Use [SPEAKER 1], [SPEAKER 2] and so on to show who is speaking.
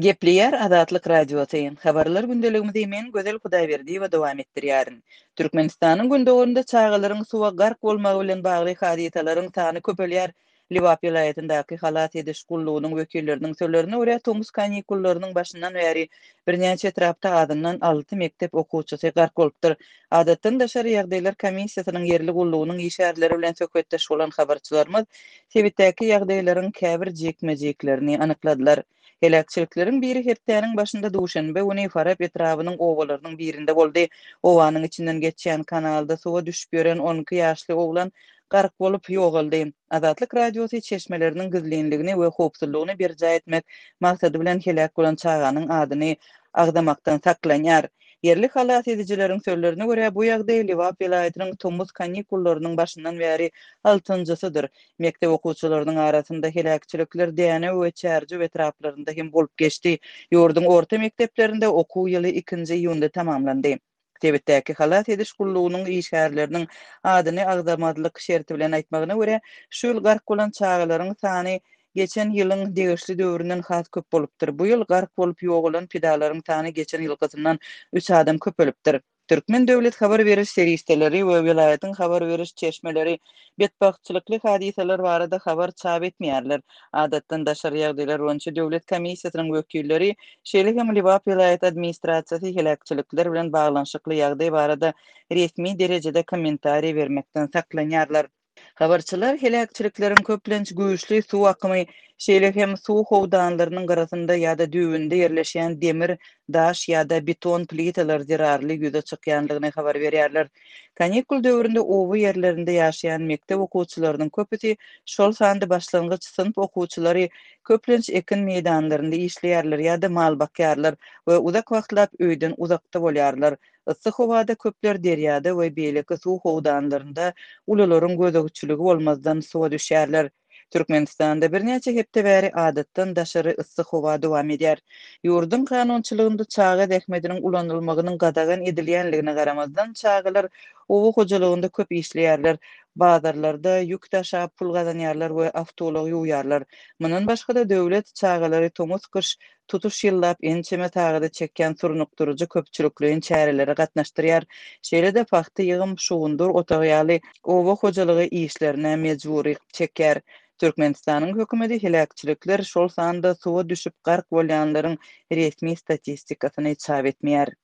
[SPEAKER 1] Gepleýär Azatlyk Radiosy, Habarlar gündeligimizi men Gözel Hudaýberdiýewa dowam etdirýärin. Türkmenistanyň gündogarynda çagalaryň suwa gark bolmagy bilen bagly hadysalaryň sany köpelýär. Lebap welaýatyndaky halas ediş gullugynyň wekilleriniň sözlerine görä, tomus kanikullarynyň başyndan bäri birnäçe etrapda azyndan alty mekdep okuwçysy gark bolupdyr. Adatdan daşary ýagdaýlar komissiýasynyň ýerli gullugynyň işgärleri bilen söhbetdeş bolan habarçylarymyz sebitdäki ýagdaýlaryň käbir jikme-jiklerini anykladylar. Heläkçilikleriň biri hepdäniň başynda duşenbe güni Farap etrabynyň obalarynyň birinde boldy. Obanyň içinden geçýän kanalda suwa düşüp ýören 12 ýaşly oglan gark bolup, ýogaldy. Azatlyk Radiosy çeşmeleriniň gizlinligini we howpsuzlygyny berjaý etmek maksady bilen heläk bolan çaganyň adyny agzamakdan saklanýar. Ýerli halas edijileriň sözlerine görä, bu ýagdaý Lebap welaýatynyň tomus kanikullarynyň başyndan bäri altynjysydyr. Mekdep okuwçylarynyň arasynda heläkçilikler Dänew we Çärjew etraplarynda hem bolup geçdi. Ýurduň orta mekdeplerinde okuw ýyly ikinji iýunda tamamlandy. Sebitdäki halas ediş gullugynyň işgärleriniň adyny agzamazlyk şerti bilen aýtmagyna görä, şu ýyl gark bolan çagalaryň sany geçen ýylyň degişli döwründen has köp bolupdyr. Bu ýyl gark bolup ýogalan pidalaryň sany geçen ýylkysyndan üç adam köpelipdir. Türkmen döwlet habar beriş serişdeleri we welaýatyň habar beriş çeşmeleri betbagtçylykly hadysalar barada habar çap etmeýärler. Adatdan daşary ýagdaýlar boýunça döwlet komissiýasynyň wekilleri, şeýle hem Lebap welaýat administrasiýasy heläkçilikler bilen baglanyşykly ýagdaý barada resmi derejede kommentariý bermekden saklanýarlar. Habarçylar heläkçilikleriň köplenç güýçli suw akymy, şeýle hem suw howdanlarynyň gyrasynda ýa-da düýbünde ýerleşýän demir, daş ýa-da beton plitalar zerarly ýüze çykýandygyny habar berýärler. Kanikul döwründe oba ýerlerinde ýaşaýan mekdep okuwçylarynyň köpüsi, şol sanda başlangyç synp okuwçylary köplenç ekin meýdanlarynda işleýärler ýa-da mal bakýarlar we uzak wagtlap öýden uzakda bolýarlar. Yssy howada köpler derýada we beýleki suw howdanlarynda ulularyň gözegçiligi bolmazdan suwa düşýärler. Türkmenistanda birnäçe hepde bäri adatdan daşary yssy howa dowam edýär. Ýurduň kanunçylygynda çaga zähmetiniň ulanylmagynyň gadagan edilýänligine garamazdan, çagalar oba hojalygynda köp işleýärler, bazarlarda ýük daşap pul gazanýarlar we awtoulag ýuwýarlar. Mundan başga-da, döwlet çagalary tomus-gyş tutuş ýyllap ençeme sagada çekýän surnukdyryjy köpçülikleýin çärelere gatnaşdyrýar. Şeýle-de pagta ýygym, şugundyr otagy ýaly oba hojalygy işlerine mejbury çekýär. Türkmenistanyň hökümeti heläkçilikler, şol sanda suwa düşüp gark bolýanlaryň resmi statistikasyny çap etmeýär.